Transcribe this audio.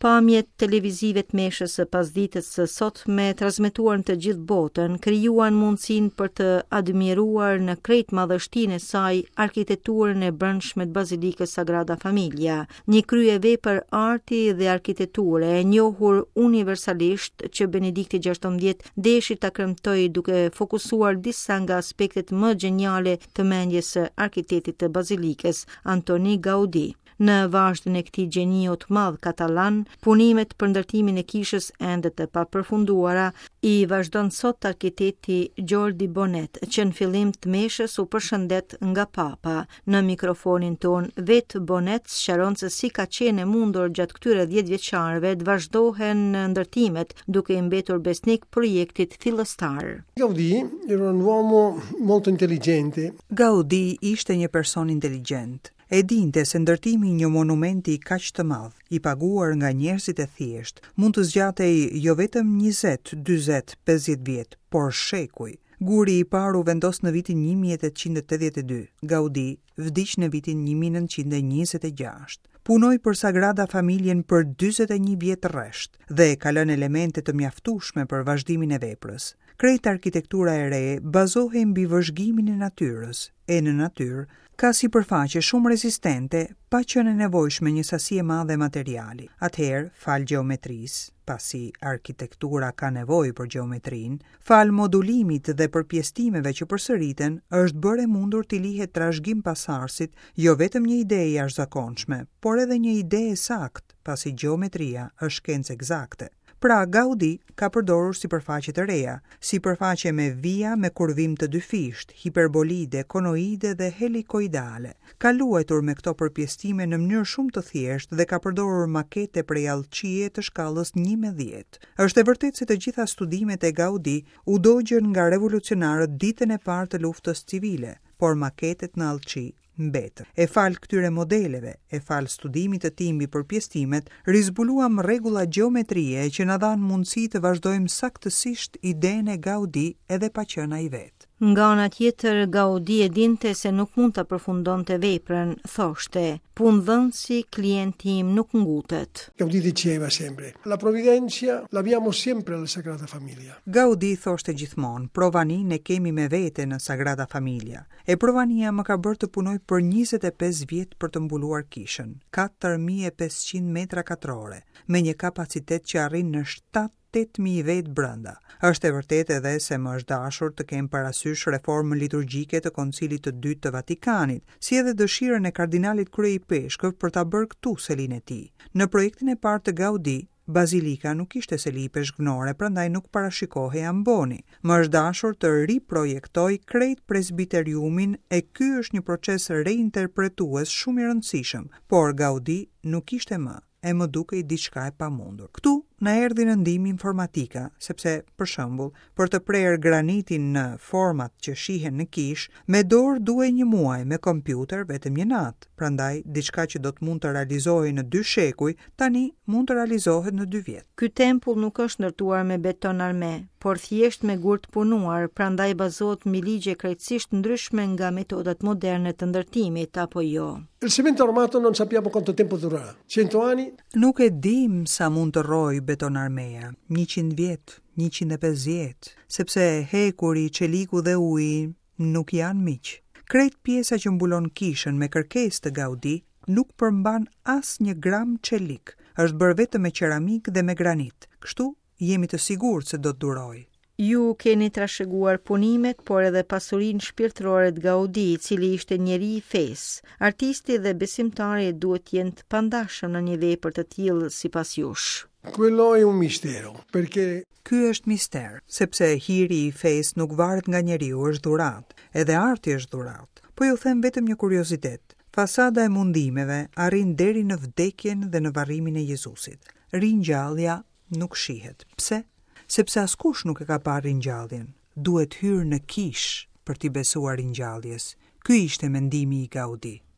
Pamjet televizive të meshës së pasdites së sotme transmetuar në të gjithë botën, krijuan mundësinë për të admiruar në krejt madhështinë e saj arkitekturën e brendshme të Bazilikës Sagrada Familia, një kryevepër arti dhe arkitekture e njohur universalisht që Benedikti XVI deshi ta kremtojë duke fokusuar disa nga aspektet më gjeniale të mendjes së arkitektit të Bazilikës, Antoni Gaudi. Në vazhdën e këtij gjeniu të madh katalan, punimet për ndërtimin e kishës ende të papërfunduara i vazhdon sot arkitekti Jordi Bonet, që në fillim të meshës u përshëndet nga Papa. Në mikrofonin tonë, vetë Bonet sqaron se si ka qenë e mundur gjatë këtyre 10 vjeçarëve të vazhdohen ndërtimet, duke i mbetur besnik projektit fillestar. Gaudí era un uomo molto intelligente. Gaudí ishte një person inteligjent. E dinte se ndërtimi i një monumenti kaq të madh, i paguar nga njerëzit e thjeshtë, mund të zgjatej jo vetëm 20, 40, 50 vjet, por shekuj. Guri i parë u vendos në vitin 1882, Gaudi vdiq në vitin 1926. Punoi për Sagrada Familjen për 41 vjet rresht dhe ka lënë elemente të mjaftueshme për vazhdimin e veprës. Krejt arkitektura e re bazohej mbi vëzhgimin e natyrës, e në natyrë ka sipërfaqe shumë rezistente pa qenë e nevojshme një sasi e madhe materiali. Atëherë, falë gjeometrisë, pasi arkitektura ka nevojë për gjeometrinë, falë modulimit dhe përpjestimeve që përsëriten, është bërë e mundur t'i lihet trashëgim pasardhësit jo vetëm një ide e jashtëzakonshme, por edhe një ide e saktë, pasi gjeometria është shkencë ekzakte. Pra, Gaudi ka përdorur sipërfaqe të reja, sipërfaqe me vija me kurvim të dyfishtë, hiperbolide, konoide dhe helikoidale. Ka luajtur me këto përpjestime në mënyrë shumë të thjeshtë dhe ka përdorur makete prej allçie të shkallës 1 me 10. Është e vërtetë se të gjitha studimet e Gaudi u dogjën nga revolucionarët ditën e parë të luftës civile, por maketet në allçi mbetën. E falë këtyre modeleve, e falë studimit të tij mbi përpjestimet, rizbuluam rregulla gjeometrie që na dhanë mundësi të vazhdojmë saktësisht idenë e Gaudi edhe pa qenë ai vetë. Nga ana tjetër, Gaudi e dinte se nuk mund ta përfundonte veprën, thoshte, punëdhënësi klienti im nuk ngutet. Gaudí diceva sempre, la provvidenza l'abbiamo sempre alla Sagrada Famiglia. Gaudi thoshte gjithmonë, provaninë e kemi me vete në Sagrada Familia. E provania më ka bërë të punoj për 25 vjet për të mbuluar kishën, 4500 metra katrore, me një kapacitet që arrin në 7 8000 vetë brenda. Është e vërtetë edhe se më është dashur të kem parasysh reformën liturgjike të Koncilit të Dytë të Vatikanit, si edhe dëshirën e kardinalit kryeipeshkëv për ta bërë këtu selinë e tij. Në projektin e parë të Gaudi, Bazilika nuk ishte seli ipeshkvnore, prandaj nuk parashikohej amboni. Më është dashur të riprojektoj krejt presbiteriumin e ky është një proces reinterpretues shumë i rëndësishëm, por Gaudi nuk ishte më e më dukej diçka e pamundur. Këtu na erdhi në ndihmë informatika, sepse për shembull, për të prerë granitin në format që shihen në kishë, me dorë duhej një muaj, me kompjuter vetëm një natë. Prandaj diçka që do të mund të realizohej në dy shekuj, tani mund të realizohet në dy vjet. Ky tempull nuk është ndërtuar me beton arme, por thjesht me gur të punuar, prandaj bazohet mbi ligje krejtësisht ndryshme nga metodat moderne të ndërtimit apo jo. Il cemento armato non sappiamo quanto tempo durerà. 100 anni? Nuk e dim sa mund të rrojë beton armeja, 100 vjet, 150, sepse hekuri, çeliku dhe uji nuk janë miq. Krejt pjesa që mbulon kishën me kërkesë të Gaudi nuk përmban as një gram çelik. Është bërë vetëm me qeramikë dhe me granit. Kështu jemi të sigurt se do të durojë. Ju keni trashëguar punimet, por edhe pasurinë shpirtërore të Gaudi, i cili ishte njeri i fesë. Artisti dhe besimtari duhet të jenë të pandashëm në një vepër të tillë sipas jush. Quello è un mistero, perché Ky është mister, sepse hiri i fesë nuk varet nga njeriu, është dhuratë. Edhe arti është dhuratë. Po ju them vetëm një kuriozitet. Fasada e mundimeve arrin deri në vdekjen dhe në varrimin e Jezusit. Ringjallja nuk shihet. Pse? Sepse askush nuk e ka parë ringjalljen. Duhet hyrë në kishë për t'i besuar ringjalljes. Ky ishte mendimi i Gaudi.